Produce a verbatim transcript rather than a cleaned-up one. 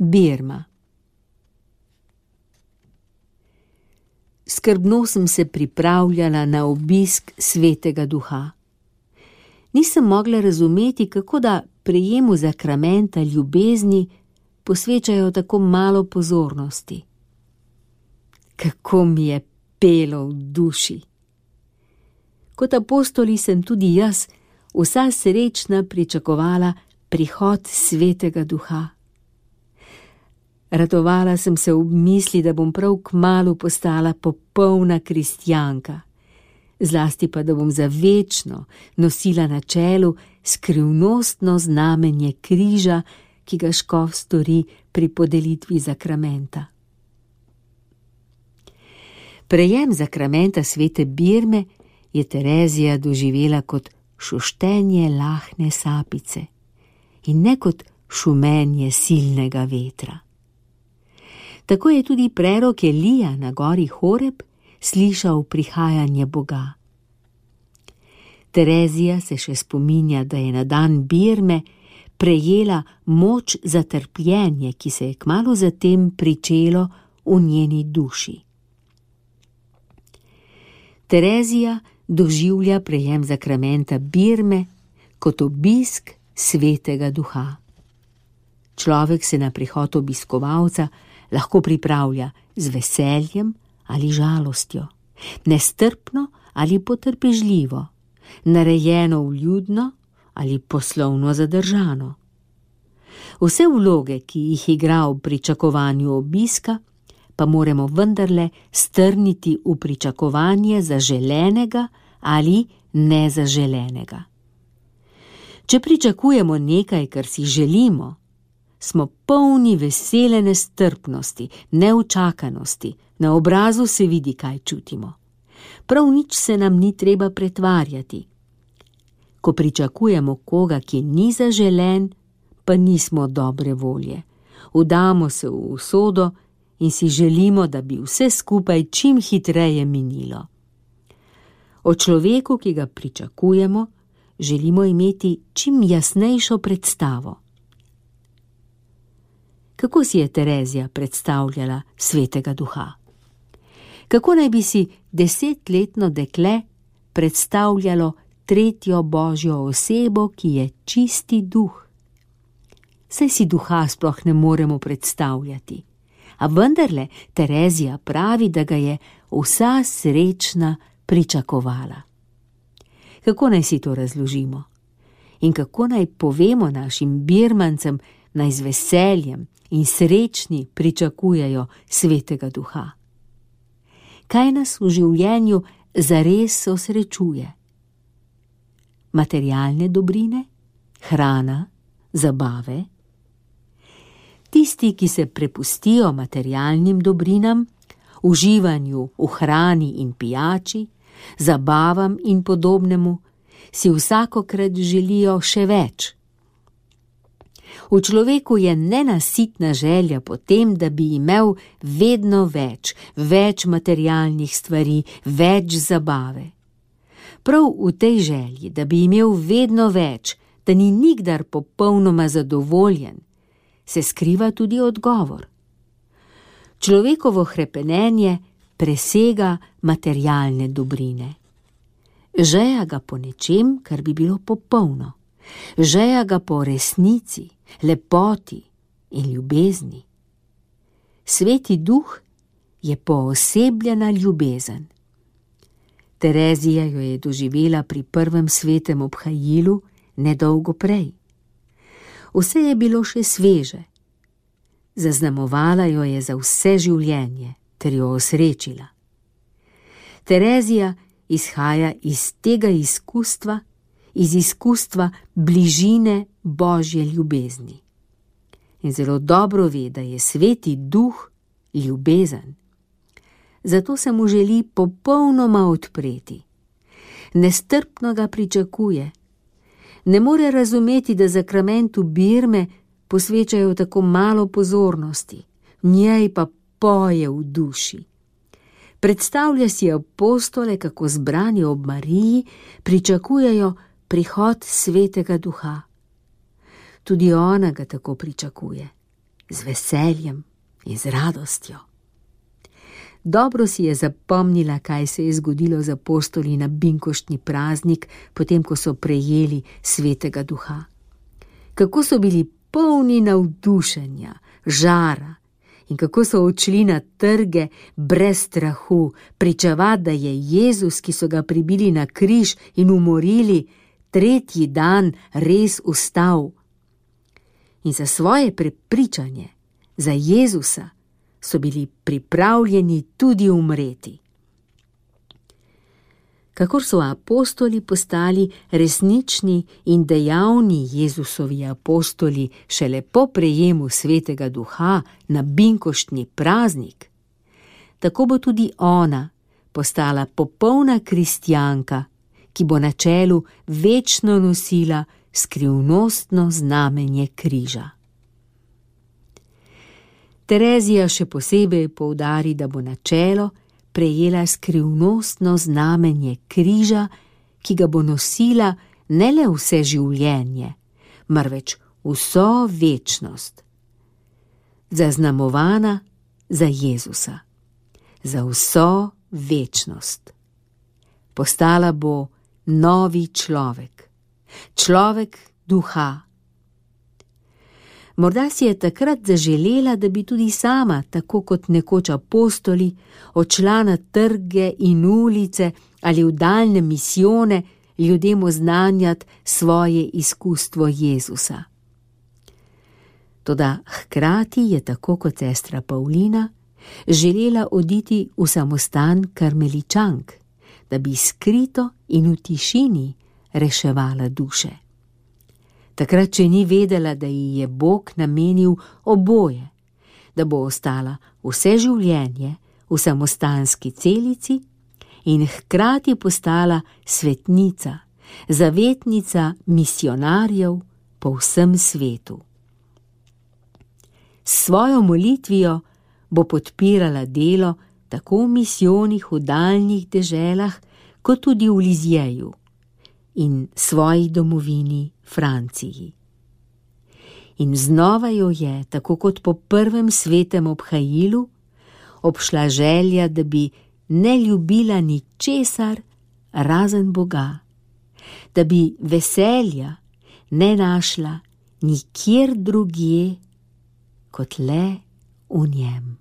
Birma. Skrbno sem se pripravljala na obisk Svetega Duha. Nisem mogla razumeti, kako da prejemu zakramenta ljubezni posvečajo tako malo pozornosti. Kako mi je pelo v duši. Kot apostoli sem tudi jaz vsa srečna pričakovala prihod Svetega Duha. Radovala sem se ob misli, da bom prav kmalu postala popolna kristjanka, zlasti pa, da bom za večno nosila na čelu skrivnostno znamenje križa, ki ga škof stori pri podelitvi zakramenta. Prejem zakramenta svete Birme je Terezija doživela kot šuštenje lahne sapice in ne kot šumenje silnega vetra. Tako je tudi prerok Elija na gori Horeb slišal prihajanje Boga. Terezija se še spominja, da je na dan Birme prejela moč za trpljenje, ki se je kmalu zatem pričelo v njeni duši. Terezija doživlja prejem zakramenta Birme kot obisk Svetega Duha. Človek se na prihod obiskovalca lahko pripravlja z veseljem ali žalostjo, nestrpno ali potrpežljivo, narejeno vljudno ali poslovno zadržano. Vse vloge, ki jih igra v pričakovanju obiska, pa moramo vendarle strniti v pričakovanje zaželenega ali nezaželenega. Če pričakujemo nekaj, kar si želimo, smo polni vesele nestrpnosti, neučakanosti, na obrazu se vidi, kaj čutimo. Prav nič se nam ni treba pretvarjati. Ko pričakujemo koga, ki ni zaželen, pa nismo dobre volje. Vdamo se v usodo in si želimo, da bi vse skupaj čim hitreje minilo. O človeku, ki ga pričakujemo, želimo imeti čim jasnejšo predstavo. Kako si je Terezija predstavljala Svetega Duha? Kako naj bi si desetletno dekle predstavljalo tretjo božjo osebo, ki je čisti duh? Saj si duha sploh ne moremo predstavljati, a vendarle Terezija pravi, da ga je vsa srečna pričakovala. Kako naj si to razložimo? In kako naj povemo našim Birmancem, naj z veseljem in srečni pričakujejo Svetega Duha? Kaj nas v življenju zares osrečuje? Materialne dobrine, hrana, zabave? Tisti, ki se prepustijo materialnim dobrinam, uživanju v hrani in pijači, zabavam in podobnemu, si vsakokrat želijo še več. V človeku je nenasitna želja po tem, da bi imel vedno več, več materialnih stvari, več zabave. Prav v tej želji, da bi imel vedno več, da ni nikdar popolnoma zadovoljen, se skriva tudi odgovor. Človekovo hrepenenje presega materialne dobrine. Žeja ga po nečem, kar bi bilo popolno. Žeja ga po resnici, lepoti in ljubezni. Sveti Duh je poosebljena ljubezen. Terezija jo je doživela pri prvem svetem obhajilu nedolgo prej. Vse je bilo še sveže. Zaznamovala jo je za vse življenje ter jo osrečila. Terezija izhaja iz tega izkustva, iz izkustva bližine Božje ljubezni. In zelo dobro ve, da je Sveti Duh ljubezen. Zato se mu želi popolnoma odpreti. Nestrpno ga pričakuje. Ne more razumeti, da zakramentu Birme posvečajo tako malo pozornosti, njej pa poje v duši. Predstavlja si apostole, kako zbrani ob Mariji pričakujejo prihod Svetega Duha. Tudi ona ga tako pričakuje. z veseljem in z radostjo. Dobro si je zapomnila, kaj se je zgodilo z apostoli na binkoštni praznik, potem ko so prejeli Svetega Duha. Kako so bili polni navdušenja, žara in kako so odšli na trge brez strahu, pričevati, da je Jezus, ki so ga pribili na križ in umorili, tretji dan res vstal. In za svoje prepričanje, za Jezusa, so bili pripravljeni tudi umreti. Kakor so apostoli postali resnični in dejavni Jezusovi apostoli šele po prejemu Svetega Duha na binkoštni praznik, tako bo tudi ona postala popolna kristjanka, ki bo na čelu večno nosila skrivnostno znamenje križa. Terezija še posebej poudari, da bo na čelo prejela skrivnostno znamenje križa, ki ga bo nosila ne le vse življenje, marveč vso večnost. Zaznamovana za Jezusa, za vso večnost. Postala bo novi človek, človek duha. Morda si je takrat zaželela, da bi tudi sama, tako kot nekoč apostoli, odšla na trge in ulice ali v daljne misijone ljudem oznanjati svoje izkustvo Jezusa. Toda hkrati je, tako kot sestra Pavlina, želela oditi v samostan karmeličank, da bi skrito in v tišini reševala duše. Takrat, če ni vedela, da ji je Bog namenil oboje, da bo ostala vse življenje v samostanski celici in hkrati postala svetnica, zavetnica misionarjev po vsem svetu. S svojo molitvijo bo podpirala delo tako v misijonih v daljnih deželah, kot tudi v Lizjeju in svoji domovini Franciji. In znova jo je, tako kot po prvem svetem obhajilu, obšla želja, da bi ne ljubila ničesar razen Boga, da bi veselja ne našla nikjer drugje kot le v njem.